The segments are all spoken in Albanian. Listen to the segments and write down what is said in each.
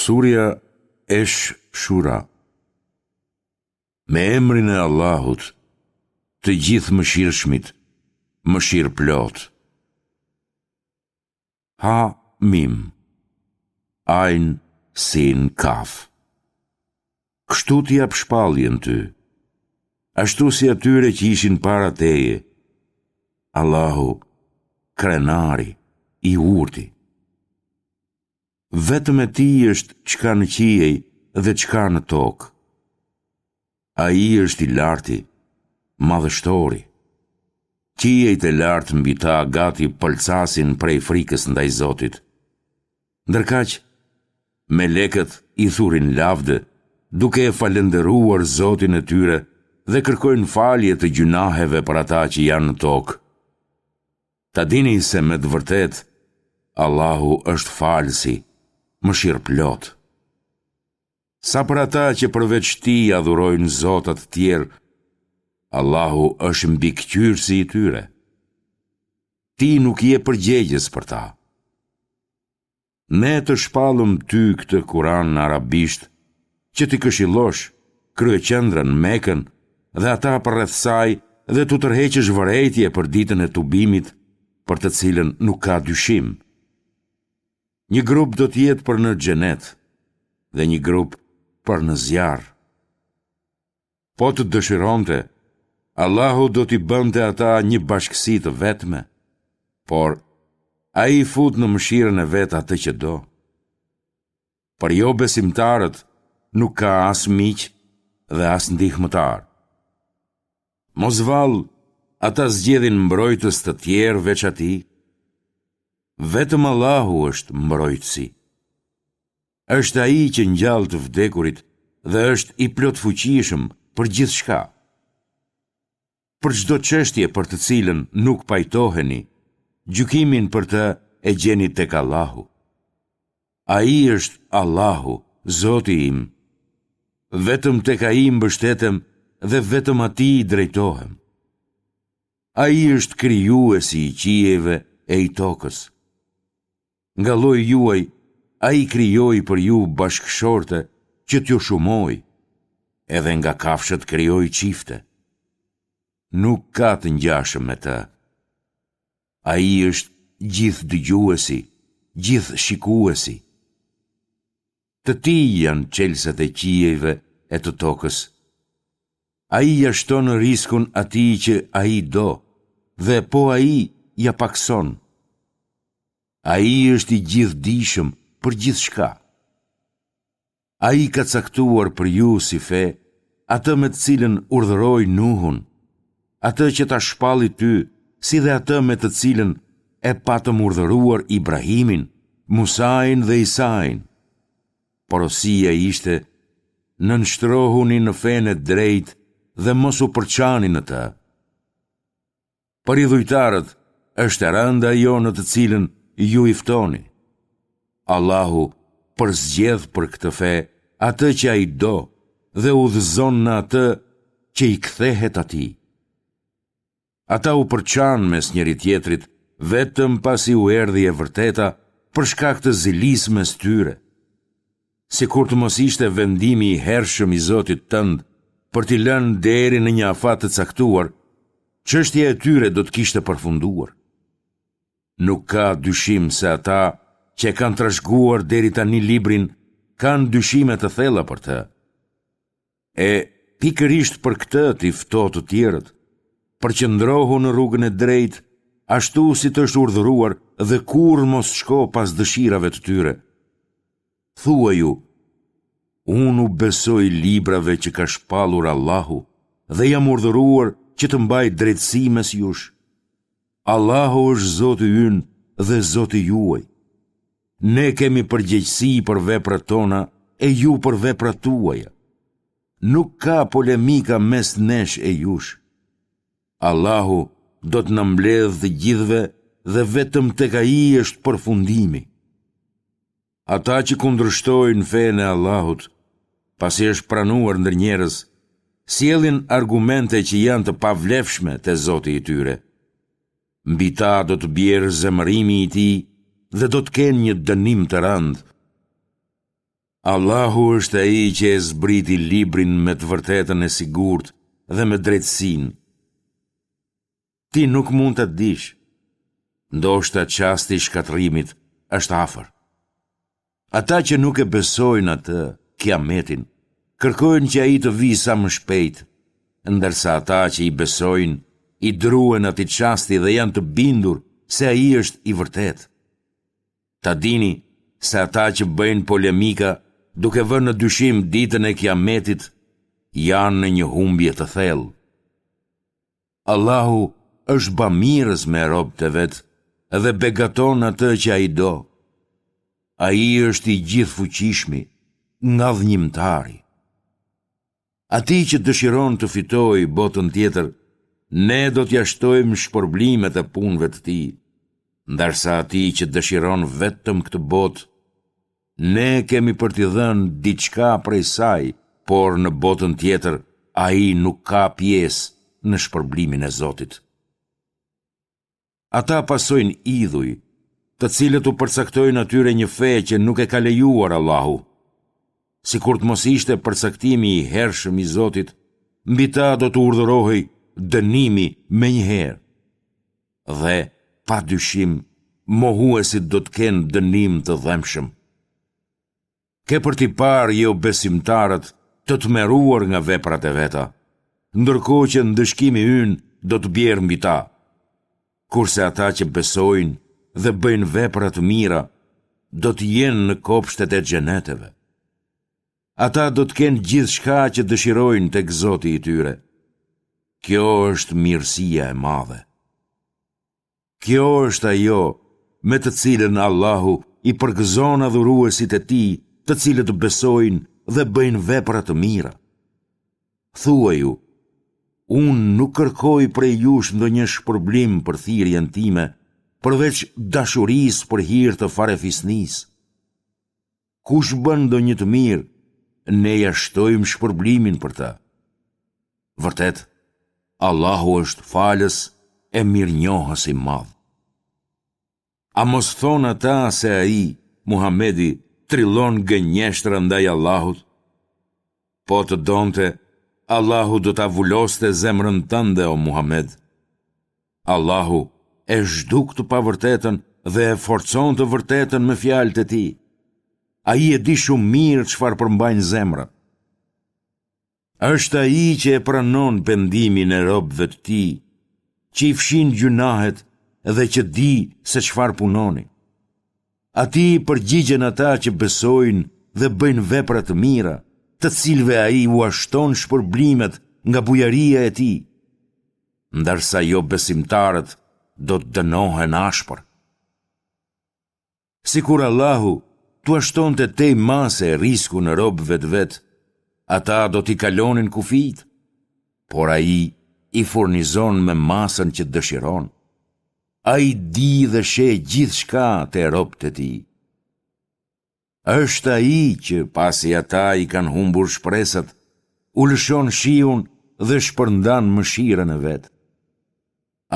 Surja Esh Shura Me emrin e Allahut, të Gjithëmëshirshmit, mëshirëplotë. Ha Mim Ajn Sin Kaf Kështu të jap shpalljen ty, ashtu si atyre që ishin para teje, Allahu, krenari, i urti. Vetëm e tij është çka në qiej dhe çka në tokë. Ai është i larti, madhështori. Qiejt e lartë mbi ta gati pëlcasin prej frikës ndaj Zotit. Ndërkaq, melekët i thurin lavde, duke e falënderuar Zotin e tyre dhe kërkojnë falje të gjynaheve për ata që janë në tokë. Ta dini se me të vërtetë, Allahu është falësi, mëshirëplotë. Sa për ata që përveç tij adhurojnë zota të tjerë, Allahu është mbikëqyrësi i tyre. Ti nuk je përgjegjës për ta. Ne të shpallëm ty këtë Kuran në arabisht, që t'i këshillosh kryeqendrën Mekën dhe ata përreth saj dhe t'u tërheqësh vërejtje për ditën e tubimit, për të cilën nuk ka dyshim. Një grup do të jetë për në xhenet dhe një grup për në zjarr. Po të dëshironte, Allahu do t'i bënte ata një bashkësi të vetme, por Ai fut në mëshirën e vet atë që do. Për jobesimtarët nuk ka as miq dhe as ndihmëtarë. Mos vallë, ata zgjedhin mbrojtës të tjerë veç atij? Vetëm Allahu është mbrojtësi. Është Ai që ngjall të vdekurit dhe është i plotfuqishëm për gjithçka. Për çdo çështje për të cilën nuk pajtoheni, gjykimin për të e gjeni tek Allahu. Ai është Allahu, Zoti im. Vetëm tek Ai mbështetem dhe vetëm Atij i drejtohem. Ai është krijuesi i qiejve e i tokës. Nga lloji juaj, ai krijoi për ju bashkëshorte që t'ju shumojë, edhe nga kafshët krijoi çifte. Nuk ka të ngjashëm me të. Ai është gjithëdëgjuesi, gjithëshikuesi. Të tij janë çelësat e qiejve e të tokës. Ai ia shton riskun atij që ai do dhe po ai ia pakëson. Ai është i gjithëdijshëm për gjithçka. Ai ka caktuar për ju si fe atë me të cilën urdhëroi Nuhun, atë që ta shpalli ty, si dhe atë me të cilën e patëm urdhëruar Ibrahimin, Musain dhe Isain. Porosia ishte, nënshtrohuni në fenë e drejtë dhe mos u përçani në të. Për idhujtarët është e rëndë ajo në të cilën ju i ftoni. Allahu përzgjedh për këtë fe atë që ai do dhe udhëzon në atë që i kthehet atij. Ata u përçanë mes njëri-tjetrit vetëm pasi u erdhi e vërteta për shkak të zilisë mes tyre. Sikur të mos ishte vendimi i hershëm i Zotit tënd për t'i lënë deri në një afat të caktuar, çështja e tyre do të kishte përfunduar. Nuk ka dyshim se ata që e kanë trashëguar deri tani librin kanë dyshime të thella për të. E pikërisht për këtë ti fto të tjerët, përqendrohu në rrugën e drejtë, ashtu si të është urdhëruar dhe kurrë mos shko pas dëshirave të tyre. Thuaju, unë u besoj librave që ka shpallur Allahu dhe jam urdhëruar që të mbaj drejtësi mes jush. Allahu është Zoti ynë dhe Zoti juaj. Ne kemi përgjegjësi për veprat tona e ju për veprat tuaja. Nuk ka polemika mes nesh e jush. Allahu do të na mbledhë të gjithëve dhe vetëm tek ai është përfundimi. Ata që kundërshtojnë fenë e Allahut, pasi është pranuar ndër njerëz, sjellin argumente që janë të pavlefshme te Zoti i tyre. Mbi ta do të bjerë zemërimi i tij dhe do të kenë një dënim të rëndë. Allahu është ai që e zbriti librin me të vërtetën e sigurt dhe me drejtësinë. Ti nuk mund ta dish. Ndoshta çasti i shkatërrimit është afër. Ata që nuk e besojnë atë, Kiametin, kërkojnë që ai të vijë sa më shpejt, ndërsa ata që i besojnë, i druhen atij çasti dhe janë të bindur se ai është i vërtetë. Ta dini se ata që bëjnë polemika duke vënë në dyshim ditën e Kiametit janë në një humbje të thellë. Allahu është bamirës me robët e vet dhe begaton atë që ai do. Ai është i gjithëfuqishmi, ngadhënjimtari. Atij që dëshiron të fitojë botën tjetër, ne do t'ia shtojmë shpërblimet e punëve të tij, ndërsa atij që dëshiron vetëm këtë botë, ne kemi për t'i dhënë diçka prej saj, por në botën tjetër ai nuk ka pjesë në shpërblimin e Zotit. Ata pasojnë idhuj, të cilët u përcaktojnë atyre një fe që nuk e ka lejuar Allahu. Sikur të mos ishte përcaktimi i hershëm i Zotit, mbi ta do të urdhërohej dënimi menjëherë. Dhe, pa dyshim, mohuesit do të kenë dënim të dhembshëm. Ke për t'i parë jobesimtarët të tmerruar nga veprat e veta, ndërkohë që ndëshkimi ynë do të bjerë mbi ta. Kurse ata që besojnë dhe bëjnë vepra të mira, do të jenë në kopshtet e xheneteve. Ata do të kenë gjithçka që dëshirojnë tek Zoti i tyre. Kjo është mirësia e madhe. Kjo është ajo me të cilën Allahu i përgëzon adhuruesit e tij të cilët besojnë dhe bëjnë vepra të mira. Thuaju, unë nuk kërkoj prej jush ndonjë shpërblim për thirrjen time, përveç dashurisë për hir të farefisnisë. Kush bën ndonjë të mirë, ne ia shtojmë shpërblimin për të. Vërtet, Allahu është falës e mirënjohës i madh. A mos thonë ata se ai, Muhamedi, trillon gënjeshtra ndaj Allahut? Po të donte, Allahu do ta vuloste zemrën tënde, o Muhamed. Allahu e zhduk të pavërtetën dhe e forcon të vërtetën me fjalët e tij. Ai e di shumë mirë çfarë përmbajnë zemrat. Është ai që e pranon pendimin e robëve të tij, që i fshin gjynahet dhe që di se çfarë punoni. Atij i përgjigjen ata që besojnë dhe bëjnë vepra të mira, të cilëve ai ua shton shpërblimet nga bujaria e tij. Ndërsa jobesimtarët do të dënohen ashpër. Sikur Allahu t'ua shtonte tej mase riskun robëve të vet, ata do t'i kalonin kufijtë, por ai i furnizon me masën që dëshiron. Ai di dhe sheh gjithçka te robët e tij. Është ai që, pasi ata i kanë humbur shpresat, u lëshon shiun dhe shpërndan mëshirën e vet.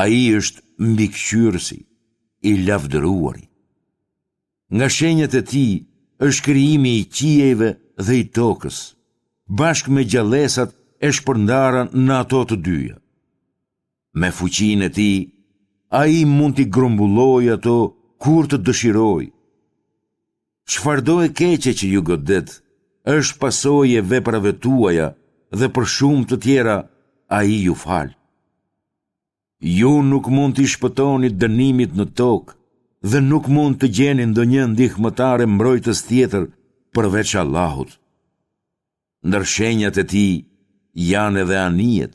Ai është mbikëqyrësi, i lavdëruari. Nga shenjat e tij është krijimi i qiejve dhe i tokës, bashkë me gjallesat e shpërndara në ato të dyja. Me fuqinë e tij, ai mund t'i grumbullojë ato kur të dëshirojë. Çfarëdo e keqe që ju godet, është pasojë e veprave tuaja dhe për shumë të tjera ai ju fal. Ju nuk mund t'i shpëtoni dënimit në tokë dhe nuk mund të gjeni ndonjë ndihmëtar e mbrojtës tjetër përveç Allahut. Ndër shenjat e tij janë edhe anijet,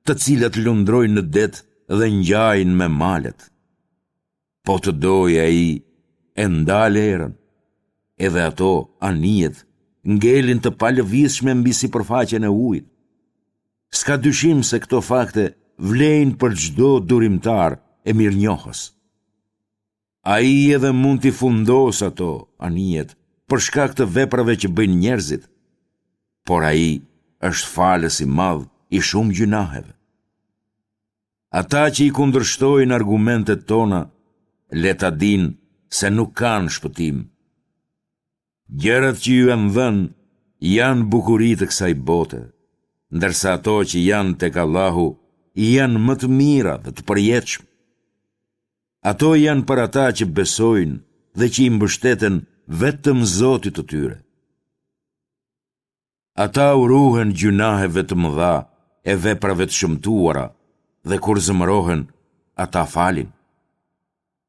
të cilat lundrojnë në det dhe ngjajnë me malet. Po të dojë ai, e ndal erën, edhe ato, anijet, ngelin të palëvizshme mbi sipërfaqen e ujit. S'ka dyshim se këto fakte vlejnë për çdo durimtar e mirënjohës. Ai edhe mund t'i fundosë ato, anijet, për shkak të veprave që bëjnë njerëzit, por ai është falës i madh i shumë gjynaheve. Ata që i kundërshtojnë argumentet tona, le ta dinë se nuk kanë shpëtim. Gjërat që ju janë dhënë janë bukuri të kësaj bote, ndërsa ato që janë tek Allahu janë më të mira dhe të përjetshme. Ato janë për ata që besojnë dhe që i mbështeten vetëm Zotit të tyre. Ata u ruhen gjynaheve të mëdha e veprave të shëmtuara dhe kur zemërohen, ata falin.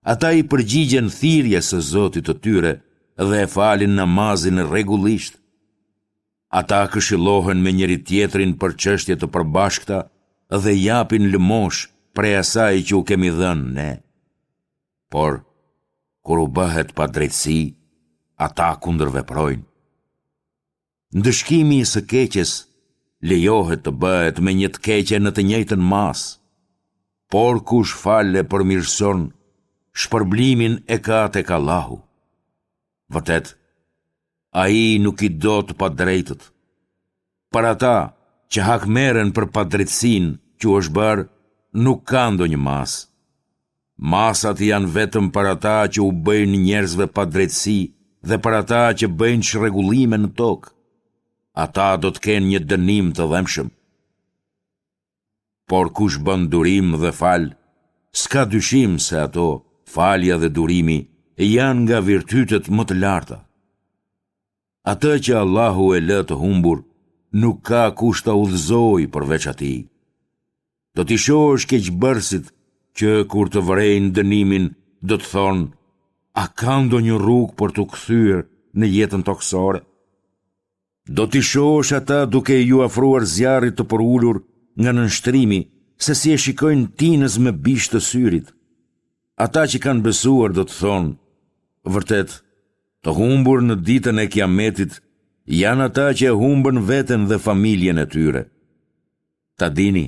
Ata i përgjigjen thirrjes së Zotit të tyre dhe e falin namazin rregullisht. Ata këshillohen me njëri-tjetrin për çështje të përbashkëta dhe japin lëmoshë prej asaj që u kemi dhënë ne. Por, kur u bëhet padrejtësi, ata kundërveprojnë. Ndëshkimi i së keqes lejohet të bëhet me një të keqe në të njëjtën masë. Por kush fal e përmirëson, shpërblimin e ka tek Allahu. Vërtet, ai nuk i do të padrejtët. Për ata që hakmerren për padrejtësinë që u është bërë, nuk ka ndonjë masë. Masat janë vetëm për ata që u bëjnë njerëzve padrejtësi dhe për ata që bëjnë çrregullime në tokë. Ata do të kenë një dënim të dhembshëm. Por kush bën durim dhe fal, s'ka dyshim se ato, falja dhe durimi, janë nga virtytet më të larta. Atë që Allahu e lë të humbur, nuk ka kush ta udhëzojë përveç atij. Do t'i shohësh keqbërësit që kur të vërejnë dënimin do të thonë, a ka ndonjë rrugë për t'u kthyer në jetën tokësore? Do t'i shohësh ata duke iu afruar zjarrit të përulur nga nënshtrimi, se si e shikojnë tinëz me bisht të syrit. Ata që kanë besuar do të thonë, vërtet, të humbur në ditën e kiametit janë ata që e humbën veten dhe familjen e tyre. Ta dini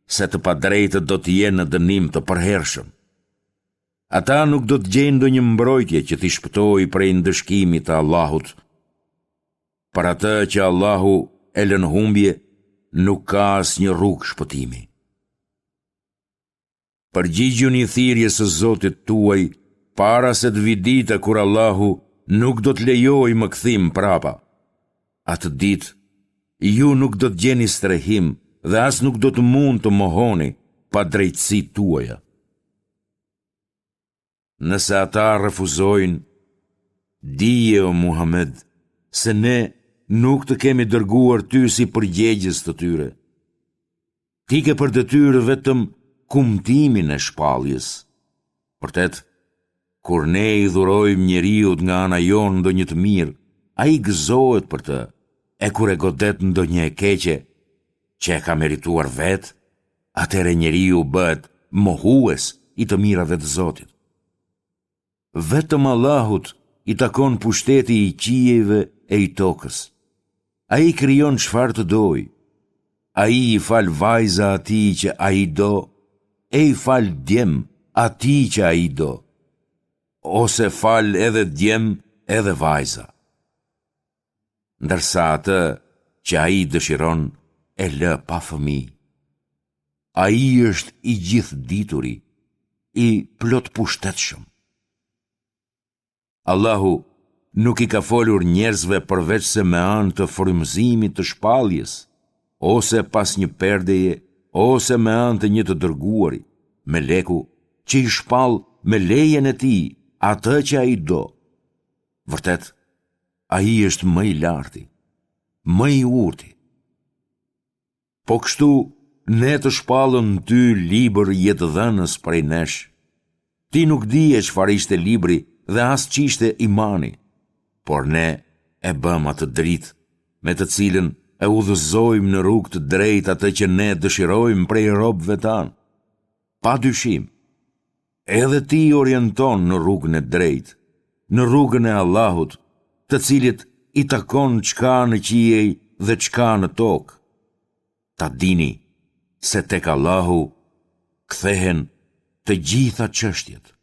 se të padrejtët do të jenë në dënim të përhershëm. Ata nuk do të gjejnë ndonjë mbrojtje që t'i shpëtojë prej ndëshkimit të Allahut. Për atë që Allahu e lë në humbje, nuk ka asnjë rrugë shpëtimi. Përgjigjuni thirrjes së Zotit tuaj para se të vijë dita kur Allahu nuk do të lejojë më kthim prapa. Atë ditë, ju nuk do të gjeni strehim dhe as nuk do të mund të mohoni padrejtësitë tuaja. Nëse ata refuzojnë, dije o Muhamed, se ne nuk të kemi dërguar ty si përgjegjës të tyre. Ti ke për detyrë vetëm kumtimin e shpalljes. Vërtet, kur ne i dhurojmë njeriut nga ana jonë ndonjë të mirë, ai gëzohet për të, e kur e godet ndonjë e keqe, që e ka merituar vetë, atëherë njeriu bëhet mohues i të mirave të Zotit. Vetëm Allahut i takon pushteti i qiejve e i tokës. Ai krijon çfarë të dojë. Ai i fal vajza atij që ai do, e i fal djem atij që ai do. Ose fal edhe djem edhe vajza. Ndërsa atë që ai dëshiron e lë pa fëmijë. Ai është i gjithëdituri, i plotpushtetshëm. Allahu nuk i ka folur njerëzve përveçse me anë të frymëzimit të shpalljes, ose pas një perdeje, ose me anë të një të dërguari, meleku, që i shpall me lejen e tij atë që ai do. Vërtet, ai është më i larti, më i urti. Po kështu, ne të shpallëm ty libër jetëdhënës prej nesh. Ti nuk dije çfarë ishte libri dhe as ç'ishte imani, por ne e bëmë atë dritë, me të cilën e udhëzojmë në rrugë të drejtë atë që ne dëshirojmë prej robëve tanë. Pa dyshim, edhe ti orienton në rrugën e drejtë, në rrugën e Allahut, të cilit i takon ç'ka në qiej dhe ç'ka në tokë. Ta dini se tek Allahu kthehen të gjitha çështjet.